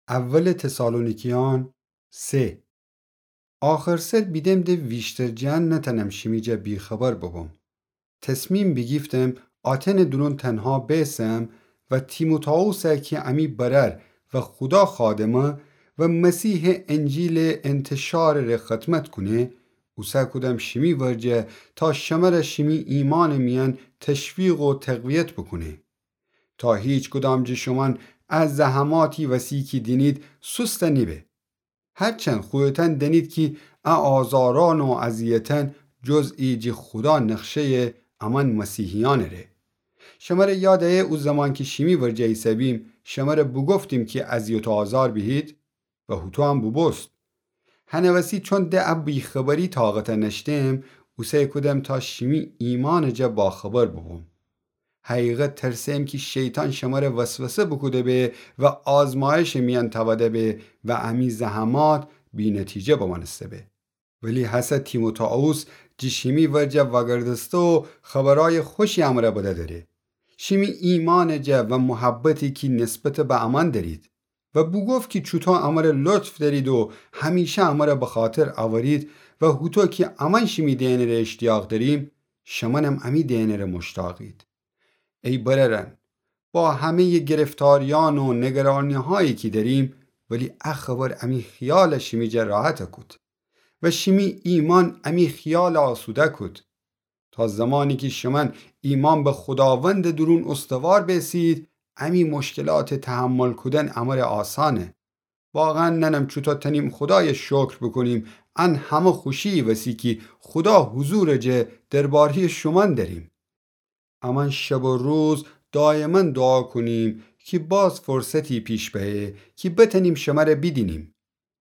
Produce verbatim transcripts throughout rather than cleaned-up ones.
اول تسالونیکیأن سه. آخر سر بیدم ده ویشتر جٚه ان نتأنم شیمی جا بی‌خبر ببم. تصمیم بیگیفتم آتنٚ دورون تنها بیسم و تیموتائوسَ کی امی برأر و خودا خادمه و مسیحٚ انجیلٚ انتشارٚ ره خدمت کونه، اوسه کودم شیمی ورجه تا شمره شیمی ایمانٚ میأن تشویق و تقویت بوکونه. تا هیچکدام جٚه شومأن ا زحماتی وسی کی دینید سوست نیبه. هرچند خودتأن دأنید کی ا آزارأن و اذیتأن جزئی جٚه خودا نقشه‌یه امأن مسیحیأنٚ ره. شمره یاد ایه او زمان کی شیمی ورجه ایسه‌بیم، شمره بوگفتیم کی اذیت و آزار بیهید و هوطو هم بوبوست. هنٚ وسی چون ده ا بی‌خبری طاقت نأشتم، اوسه کودم تا شیمی ایمانٚ جا باخبر بوبوم. حقیقت ترسم کی شیطان شمره وسوسه بوکوده به و آزمایشٚ میأن تأوده به و امی زحمات بی‌نتیجه بمأنسته به. ولی هسه تیموتائوس جٚه شیمی ورجه وأگردسته و خبرأیٚ خوشی امره بدأدره. شیمی ایمانٚ جا و محبتی کی نسبت به امأن دأرید و بوگفت کی چوطو امره لطف دأرید و همیشه امره بخاطر أورید و هوطو کی امأن شیمی دئنٚ ره اشتیاق دأریم، شمأنم امی دئنٚ ره مشتاقید. ای برأرأن، با همه‌یٚ گرفتاریأن و نگرانی‌هایی کی دأریم، ولی ا خبر امی خیال شیمی جا راحت کود و شیمی ایمأن امی خیال آسوده کود. تا زمانی کی شومأن ایمأن به خوداوندٚ دورون استوار بیسید، امی مشکلات تحمل کودن امره آسأنه. واقعاً نأنم چوطو تأنیم خودای شکر بوکونیم، ان همه خوشی وسی کی خودا حضورٚ جا درباره‌یٚ شومأن دأریم. امأن شب و روز دایماً دوعا کونیم کی باز فرصتی پیش بأیه کی بتأنیم شمره بیدینیم،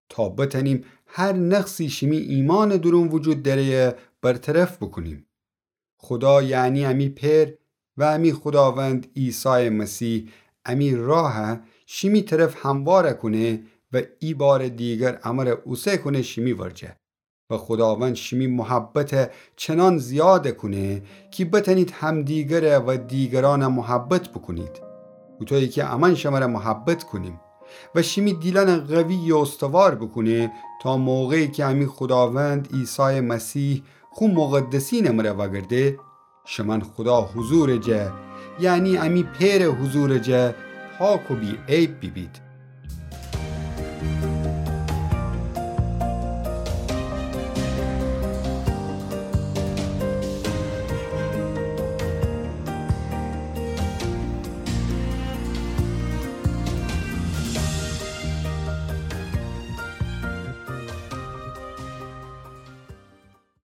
تا بتأنیم هر نقصی شیمی ایمأنٚ دورون وجود دأره‌یه برطرف بوکونیم. خودا، یعنی امی پئر و امی خوداوند عیسایٚ مسیح، امی راه شیمی طرف هموار کونه و ای بارٚ دیگر امره اوسه کونه شیمی ورجه. و خوداوند شیمی محبت چنان زیاد کونه کی بتأنید همدیگر و دیگرأن محبت بوکونید، هوطویی کی امأن شمره محبت کونیم. و شیمی دیلأن قوی و استوار بوکونه، تا موقعی کی امی خوداوند عیسایٚ مسیح خو مقدسینٚ مره وأگرده، شومأن خودا حضورٚ جا، یعنی امی پئرٚ حضورٚ جا، پاک و بی‌عیب بیبید.